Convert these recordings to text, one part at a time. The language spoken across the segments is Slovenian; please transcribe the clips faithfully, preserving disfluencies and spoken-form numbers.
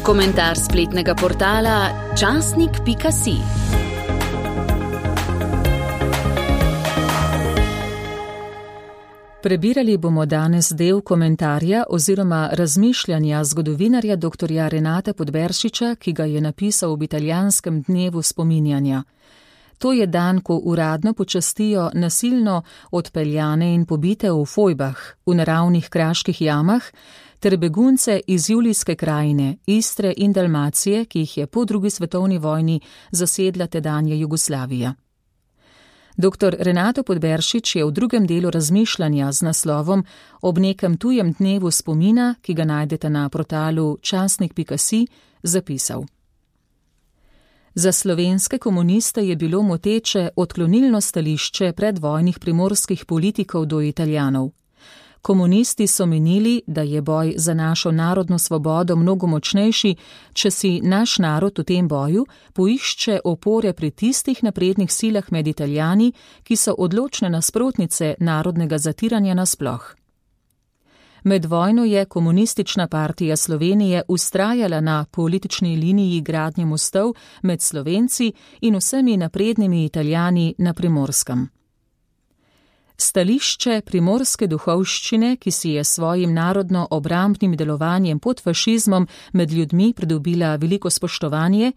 Komentar spletnega portala časnik pika si. Prebirali bomo danes del komentarja oziroma razmišljanja zgodovinarja doktorja Renata Podberšiča, ki ga je napisal ob italijanskem dnevu spominjanja. To je dan, ko uradno počastijo nasilno odpeljane in pobite v fojbah, v naravnih kraških jamah, ter begunce iz Julijske krajine, Istre in Dalmacije, ki jih je po drugi svetovni vojni zasedla tedanja Jugoslavija. Doktor Renato Podberšič je v drugem delu razmišljanja z naslovom Ob nekem tujem dnevu spomina, ki ga najdete na portalu časnik pika si, zapisal. Za slovenske komuniste je bilo moteče odklonilno stališče predvojnih primorskih politikov do Italijanov. Komunisti so menili, da je boj za našo narodno svobodo mnogo močnejši, če si naš narod v tem boju poišče opore pri tistih naprednih silah med Italijani, ki so odločne nasprotnice narodnega zatiranja nasploh. Med vojno je Komunistična partija Slovenije vztrajala na politični liniji gradnje mostov med Slovenci in vsemi naprednimi Italijani na Primorskem. Stališče primorske duhovščine, ki si je svojim narodno-obrambnim delovanjem pod fašizmom med ljudmi pridobila veliko spoštovanje,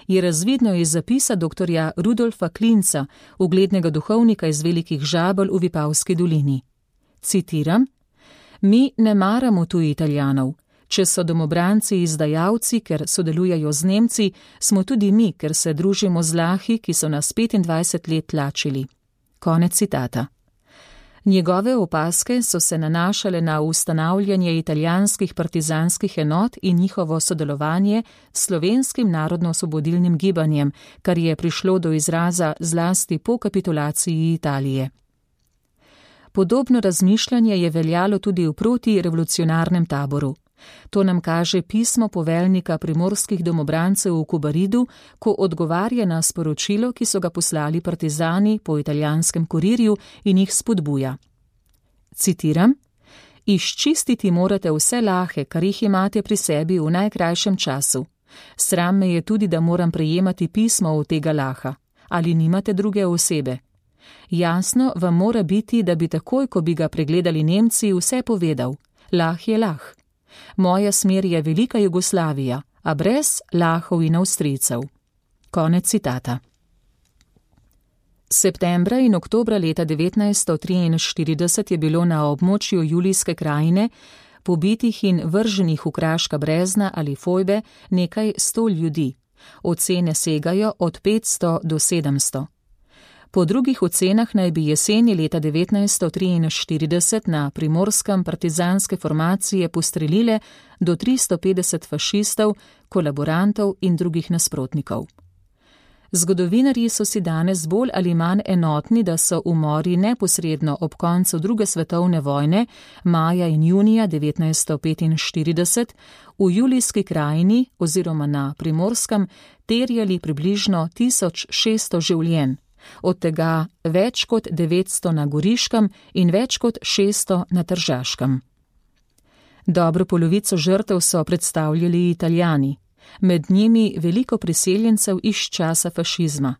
je razvidno iz zapisa doktorja Rudolfa Klinca, uglednega duhovnika iz Velikih Žabelj v Vipavski dolini. Citiram: Mi ne maramo tuji Italijanov. Če so domobranci izdajalci, ker sodelujejo z Nemci, smo tudi mi, ker se družimo z lahi, ki so nas petindvajset let tlačili. Konec citata. Njegove opaske so se nanašale na ustanavljanje italijanskih partizanskih enot in njihovo sodelovanje s slovenskim narodno-osvobodilnim gibanjem, kar je prišlo do izraza zlasti po kapitulaciji Italije. Podobno razmišljanje je veljalo tudi v protirevolucionarnem taboru. To nam kaže pismo poveljnika primorskih domobrancev v Kobaridu, ko odgovarja na sporočilo, ki so ga poslali partizani po italijanskem kurirju in jih spodbuja. Citiram: Izčistiti morate vse lahe, kar jih imate pri sebi v najkrajšem času. Sram me je tudi, da moram prejemati pismo od tega laha. Ali nimate druge osebe? Jasno vam mora biti, da bi takoj, ko bi ga pregledali Nemci, vse povedal. Lah je lah. Moja smer je velika Jugoslavija, a brez lahov in Avstrijcev. Konec citata. Septembra in oktobra leta devetnajststo triinštirideset je bilo na območju Julijske krajine pobitih in vrženih v kraška brezna ali fojbe nekaj sto ljudi. Ocene segajo od petsto do sedemsto. Po drugih ocenah naj bi jeseni leta devetnajststo triinštirideset na Primorskem partizanske formacije postrelile do tristo petdeset fašistov, kolaborantov in drugih nasprotnikov. Zgodovinarji so si danes bolj ali manj enotni, da so umori neposredno ob koncu druge svetovne vojne, maja in junija devetnajststo petinštirideset, v Julijski krajini oziroma na Primorskem terjali približno tisoč šeststo življenj. Od tega več kot devetsto na Goriškem in več kot šeststo na Tržaškem. Dobro polovico žrtev so predstavljali Italijani, med njimi veliko priseljencev iz časa fašizma.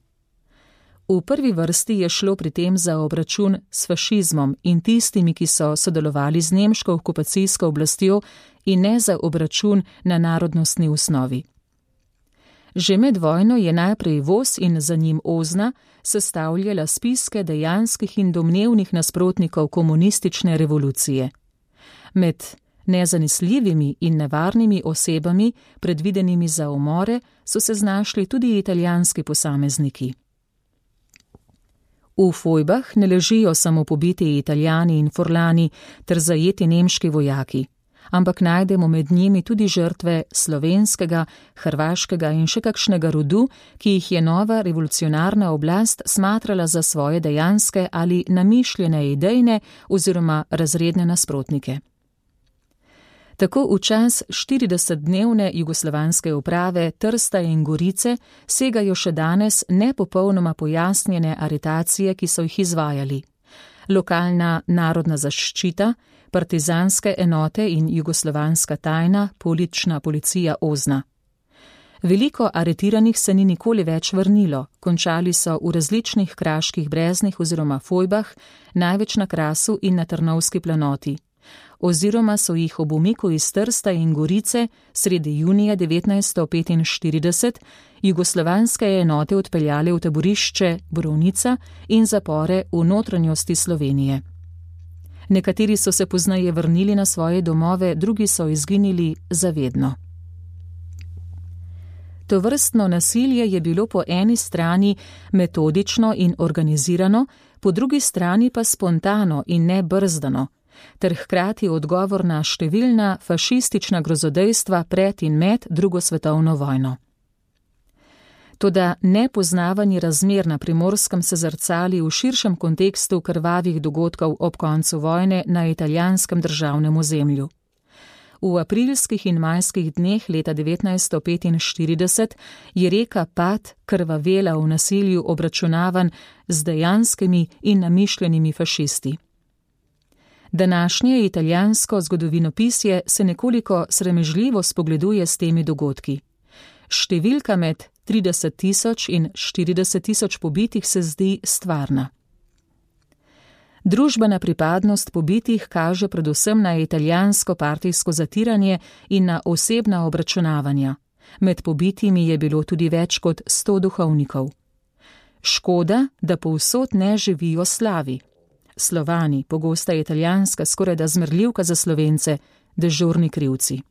V prvi vrsti je šlo pri tem za obračun s fašizmom in tistimi, ki so sodelovali z nemško okupacijsko oblastjo, in ne za obračun na narodnostni osnovi. Že med vojno je najprej Vos in za njim Ozna sestavljala spiske dejanskih in domnevnih nasprotnikov komunistične revolucije. Med nezanesljivimi in nevarnimi osebami, predvidenimi za umore, so se znašli tudi italijanski posamezniki. V fojbah ne ležijo samo pobiti Italijani in Forlani ter zajeti nemški vojaki, ampak najdemo med njimi tudi žrtve slovenskega, hrvaškega in še kakšnega rodu, ki jih je nova revolucionarna oblast smatrala za svoje dejanske ali namišljene idejne oziroma razredne nasprotnike. Tako v čas štiridesetdnevne jugoslovanske uprave Trsta in Gorice segajo še danes nepopolnoma pojasnjene aretacije, ki so jih izvajali. Lokalna narodna zaščita, partizanske enote in jugoslovanska tajna, politična policija Ozna. Veliko aretiranih se ni nikoli več vrnilo, končali so v različnih kraških breznih oziroma fojbah, največ na Krasu in na Trnovski planoti, oziroma so jih ob umiku iz Trsta in Gorice sredi junija devetnajststo petinštirideset jugoslovanske enote odpeljale v taborišče Borovnica in zapore v notranjosti Slovenije. Nekateri so se pozneje vrnili na svoje domove, drugi so izginili zavedno. Tovrstno nasilje je bilo po eni strani metodično in organizirano, po drugi strani pa spontano in nebrzdano, ter hkrati odgovor na številna fašistična grozodejstva pred in med drugo svetovno vojno. Toda nepoznavanje razmer na Primorskem se zrcali v širšem kontekstu krvavih dogodkov ob koncu vojne na italijanskem državnem ozemlju. V aprilskih in majskih dneh leta devetnajststo petinštirideset je reka Pad krvavela v nasilju obračunavan z dejanskimi in namišljenimi fašisti. Današnje italijansko zgodovinopisje se nekoliko sramežljivo spogleduje s temi dogodki. Številka med trideset tisoč in štirideset tisoč pobitih se zdi stvarna. Družbena pripadnost pobitih kaže predvsem na italijansko partijsko zatiranje in na osebna obračunavanja. Med pobitimi je bilo tudi več kot sto duhovnikov. Škoda, da povsod ne živijo slavi. Slovani, pogosta italijanska skorajda zmerljivka za Slovence, dežurni krivci.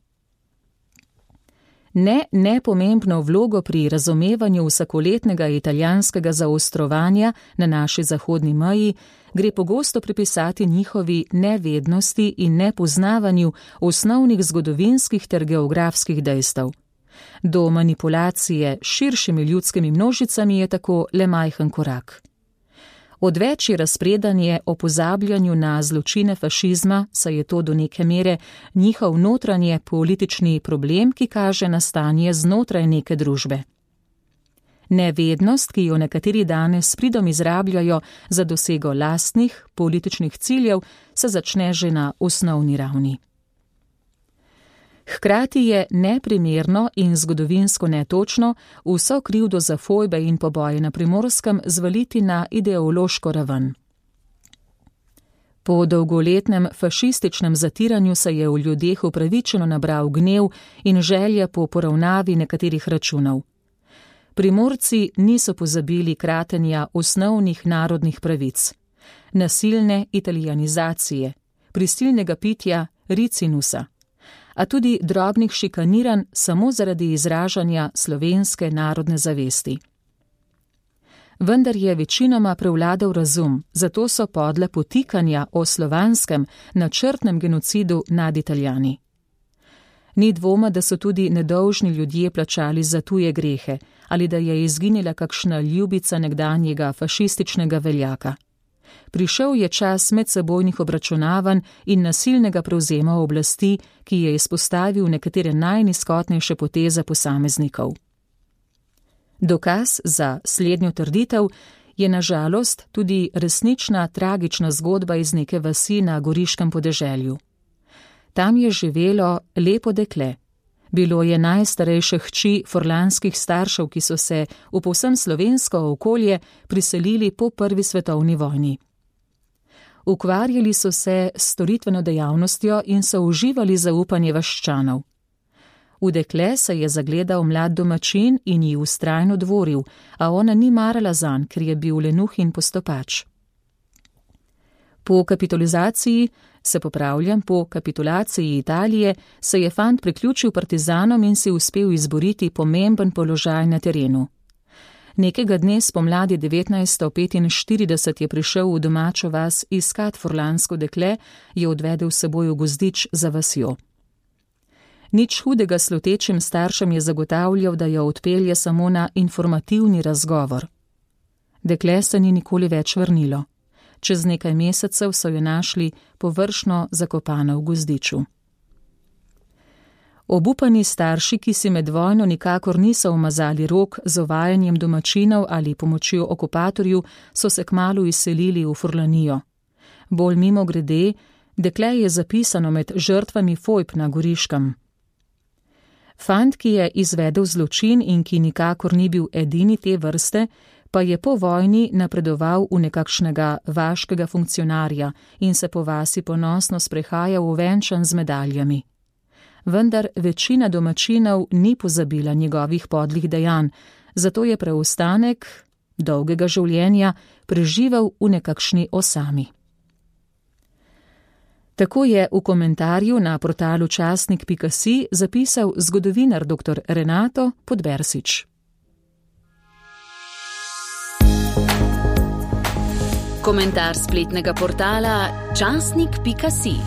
Ne nepomembno vlogo pri razumevanju vsakoletnega italijanskega zaostrovanja na naši zahodni meji gre pogosto pripisati njihovi nevednosti in nepoznavanju osnovnih zgodovinskih ter geografskih dejstev. Do manipulacije s širšimi ljudskimi množicami je tako le majhen korak. Odveč razpredanje o pozabljanju na zločine fašizma, saj je to do neke mere njihov notranje politični problem, ki kaže na stanje znotraj neke družbe. Nevednost, ki jo nekateri danes s pridom izrabljajo za dosego lastnih političnih ciljev, se začne že na osnovni ravni. Hkrati je neprimerno in zgodovinsko netočno vso krivdo za fojbe in poboje na Primorskem zvaliti na ideološko raven. Po dolgoletnem fašističnem zatiranju se je v ljudeh upravičeno nabral gnev in želja po poravnavi nekaterih računov. Primorci niso pozabili kratenja osnovnih narodnih pravic, nasilne italijanizacije, prisilnega pitja ricinusa, a tudi drobnih šikaniranj samo zaradi izražanja slovenske narodne zavesti. Vendar je večinoma prevladal razum, zato so podle potikanja o slovanskem načrtnem genocidu nad Italijani. Ni dvoma, da so tudi nedolžni ljudje plačali za tuje grehe ali da je izginila kakšna ljubica nekdanjega fašističnega veljaka. Prišel je čas medsebojnih obračunavanj in nasilnega prevzema oblasti, ki je izpostavil nekatere najnizkotnejše poteze posameznikov. Dokaz za slednjo trditev je na žalost tudi resnična tragična zgodba iz neke vasi na goriškem podeželju. Tam je živelo lepo dekle. Bilo je najstarejše hči forlanskih staršev, ki so se v povsem slovensko okolje priselili po prvi svetovni vojni. Ukvarjali so se s storitveno dejavnostjo in so uživali zaupanje vaščanov. V dekle se je zagledal mlad domačin in ji vztrajno dvoril, a ona ni marala zanj, ker je bil lenuh in postopač. Po kapitulizaciji, se popravljam, po kapitulaciji Italije se je fant priključil partizanom in si uspel izboriti pomemben položaj na terenu. Nekega dne spomladi devetnajststo petinštirideset je prišel v domačo vas iskat forlansko dekle, je odvedel s seboj v gozdič za vasjo. Nič hudega slutečim staršem je zagotavljal, da jo odpelje samo na informativni razgovor. Dekle se ni nikoli več vrnilo. Čez nekaj mesecev so jo našli površno zakopano v gozdiču. Obupani starši, ki si med vojno nikakor niso umazali rok z ovajanjem domačinov ali pomočjo okupatorju, so se kmalu izselili v Furlanijo. Bolj mimogrede, dekle je zapisano med žrtvami fojb na Goriškem. Fant, ki je izvedel zločin in ki nikakor ni bil edini te vrste, pa je po vojni napredoval v nekakšnega vaškega funkcionarja in se po vasi ponosno sprehajal uvenčan z medaljami. Vendar večina domačinov ni pozabila njegovih podlih dejanj, zato je preostanek dolgega življenja preživel v nekakšni osami. Tako je v komentarju na portalu časnik pika si zapisal zgodovinar doktor Renato Podbersič. Komentar spletnega portala časnik pika si.